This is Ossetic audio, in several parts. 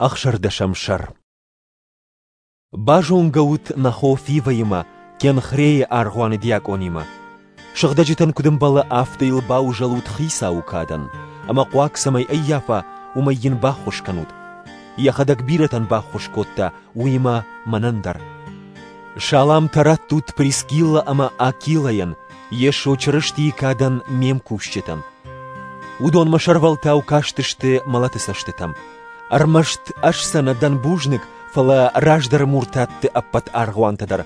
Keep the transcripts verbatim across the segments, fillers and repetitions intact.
Ӕхсӕрдӕсӕм сӕр. Базонгӕ ут нӕ хо Фивӕимӕ, Кенхрейы аргъуаны диакъонимӕ. Сыгъдӕджытӕн куыд ӕмбӕлы, афтӕ йыл баузӕлут Хицауы кадӕн, ӕмӕ хъуаг цӕмӕй ӕййафа, уымӕй йын баххуыс кӕнут. Йӕхӕдӕг бирӕтӕн баххуыс кодта, уыимӕ мӕнӕн дӕр. Саламтӕ раттут Прискиллӕ ӕмӕ Акилӕйӕн, Йесо Чырыстийы кадӕн ме мкусджытӕн. Уыдон мӕ сӕрвӕлтау кастысты мӕлӕты цӕстытӕм. Ӕрмӕст ӕз сӕ нӕ дӕн бузныг, фӕлӕ раздӕры муртатты ӕппӕт аргъуантӕ дӕр.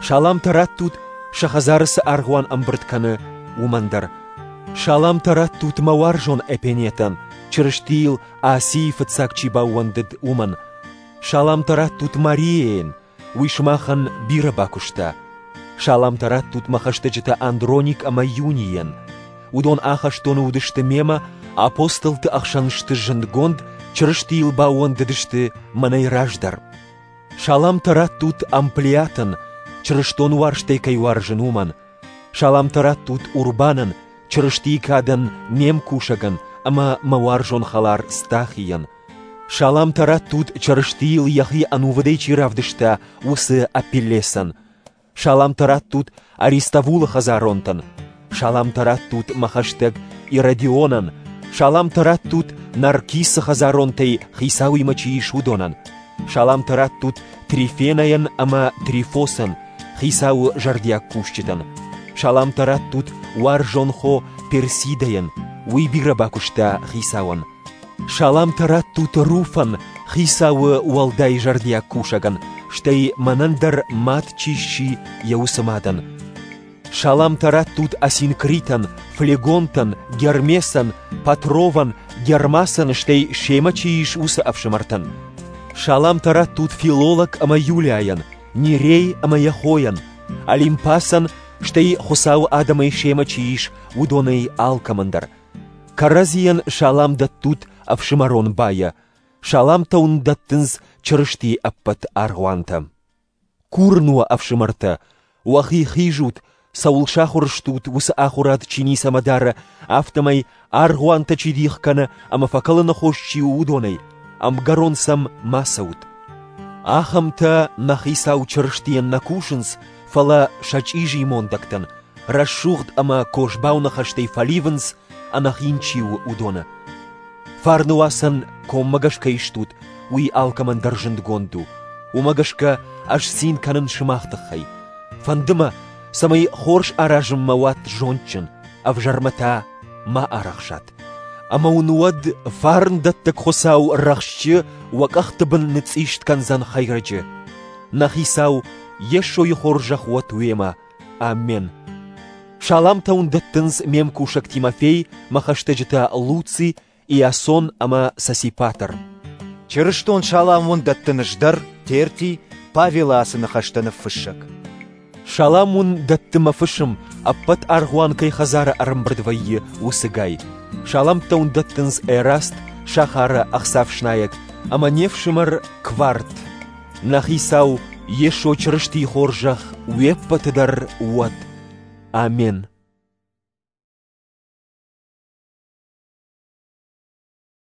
Саламтӕ раттут, сӕ хӕдзары цы аргъуан ӕмбырд кӕны, уымӕн дӕр. Саламтӕ раттут мӕ уарзон Эпенетӕн, Чырыстийыл Асийы фыццаг чи баууӕндыд, уымӕн. Саламтӕ раттут Мариайӕн, уый сымахӕн бирӕ бакуыста. Саламтӕ раттут мӕ хӕстӕджытӕ Андроник ӕмӕ Юнийӕн. Уыдон ахӕстоны уыдысты мемӕ, апостолты ӕхсӕн сты зындгонд, Чырыстийыл баууӕндыдысты мӕнӕй раздӕр. Саламтӕ раттут Амплиатӕн, чырыстон уарзтӕй кӕй уарзын, уымӕн. Саламтӕ раттут Урбанӕн, Чырыстийы кадӕн ме мкусӕгӕн ӕмӕ мӕ уарзон хӕлар Стахийӕн. Саламтӕ раттут Чырыстийыл йӕхи ӕнувыдӕй чи равдыста, уыцы Апеллесӕн. Саламтӕ раттут Аристовулы хӕдзаронтӕн. Саламтӕ раттут мӕ хӕстӕг Иродионӕн. Саламтӕ раттут Наркисы хӕдзаронтӕй хицауимӕ чи ис, уыдонӕн. Саламтӕ раттут Трифенӕйӕн ӕмӕ Трифосӕн, хицауы зӕрдиаг кусджытӕн. Саламтӕ раттут уарзон хо Персидӕйӕн, уый бирӕ бакуыста хицауӕн. Саламтӕ раттут Руфӕн, хицауы уӕлдай зӕрдиаг кусӕгӕн, стӕй мӕнӕн дӕр мад чи сси, йӕ уыцы мадӕн. Саламтӕ раттут Асинкритӕн, Флегонтӕн, Гермесӕн, Патровӕн, Гермасӕн, стӕй семӕ чи ис, уыцы ӕфсымӕртӕн. Саламтӕ раттут Филолог ӕмӕ Юлиайӕн, Нерей ӕмӕ йӕ хойӕн, Олимпасӕн, стӕй Хуыцауы адӕмӕй семӕ чи ис, уыдонӕй алкӕмӕн дӕр. Кӕрӕдзийӕн салам дӕттут ӕфсымӕрон байӕ. Саламтӕ уын дӕттынц Чырыстийы ӕппӕт аргъуантӕ. Курын уӕ, ӕфсымӕртӕ, уӕхи хизут, цӕуыл сахуыр стут, уыцы ахуырад чи ницӕмӕ дары, афтӕмӕй аргъуантӕ чи дих кӕны ӕмӕ фӕкӕлыны хос чи у, уыдонӕй, ӕмгӕрон сӕм ма цӕут. Ахӕмтӕ нӕ Хицау Чырыстийӕн нӕ кусынц, фӕлӕ сӕ чъизи мондӕгтӕн, рӕсугъд ӕмӕ козбау ныхӕстӕй фӕливынц, ӕнӕхин чи у, уыдоны. Фарны уацӕн коммӕгӕс кӕй стут, уый алкӕмӕн дӕр зындгонд у. Уымӕ гӕсгӕ ӕз цин кӕнын сымах тыххӕй. Фӕнды мӕ, цӕмӕй хорз аразынмӕ уат зондджын, ӕвзӕрмӕ та ма арӕхсат. Ӕмӕ уын уӕд фарндӕттӕг Хуыцау рӕхсджы уӕ къӕхты бын ныцъист кӕндзӕн хӕйрӕджы. Нӕ Хицау Йесойы хорзӕх уӕд уемӕ. Амен. Саламтӕ уын дӕттынц ме мкусӕг Тимофей, мӕ хӕстӕджытӕ Луци, Иасон ӕмӕ Сосипатр. Чырыстон салам уын дӕттын ӕз дӕр, Терти, Павелы ацы ныхӕстӕ ныффыссӕг. Салам уын дӕтты мӕ фысым, ӕппӕт аргъуан кӕй хӕдзары ӕрӕмбырд вӕййы, уыцы Гай. Саламтӕ уын дӕттынц Эраст, сахары ӕхцафснайӕг, ӕмӕ не фсымӕр Кварт. Нӕ Хицау Йесо Чырыстийы хорзӕх уе ппӕты дӕр уӕд. Амен.